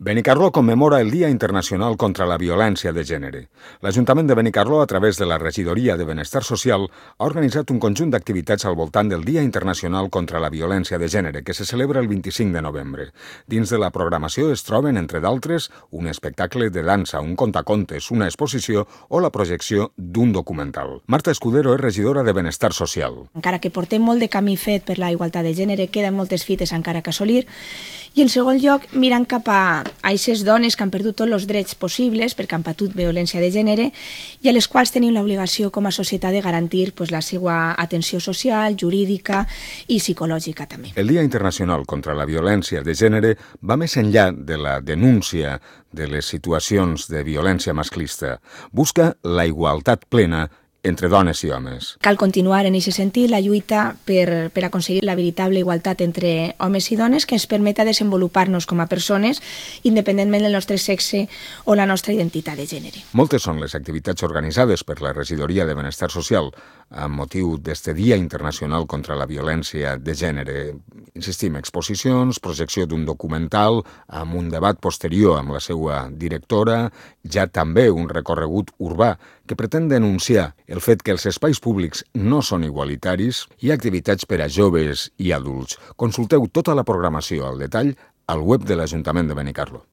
Benicarló commemora el Dia Internacional contra la Violència de Gènere. L'Ajuntament de Benicarló, a través de la Regidoria de Benestar Social, ha organitzat un conjunt d'activitats al voltant del Dia Internacional contra la Violència de Gènere, que se celebra el 25 de novembre. Dins de la programació es troben, entre d'altres, un espectacle de dansa, un contacontes, una exposició o la projecció d'un documental. Marta Escudero és regidora de Benestar Social. Encara que portem molt de camí fet per la igualtat de gènere, queden moltes fites encara que assolir. I en segon lloc, mirant cap a aquestes dones que han perdut tots els drets possibles perquè han patut violència de gènere i a les quals tenim l'obligació com a societat de garantir la seva atenció social, jurídica i psicològica també. El Dia Internacional contra la Violència de Gènere va més enllà de la denúncia de les situacions de violència masclista. Busca la igualtat plena entre dones i homes. Cal continuar en aquest sentit la lluita per aconseguir la veritable igualtat entre homes i dones que ens permeta desenvolupar-nos com a persones independentment del nostre sexe o la nostra identitat de gènere. Moltes són les activitats organitzades per la Regidoria de Benestar Social amb motiu d'este Dia Internacional contra la Violència de Gènere. Insistim, exposicions, projecció d'un documental, amb un debat posterior amb la seva directora, ja també un recorregut urbà que pretén denunciar el fet que els espais públics no són igualitaris i activitats per a joves i adults. Consulteu tota la programació al detall al web de l'Ajuntament de Benicarló.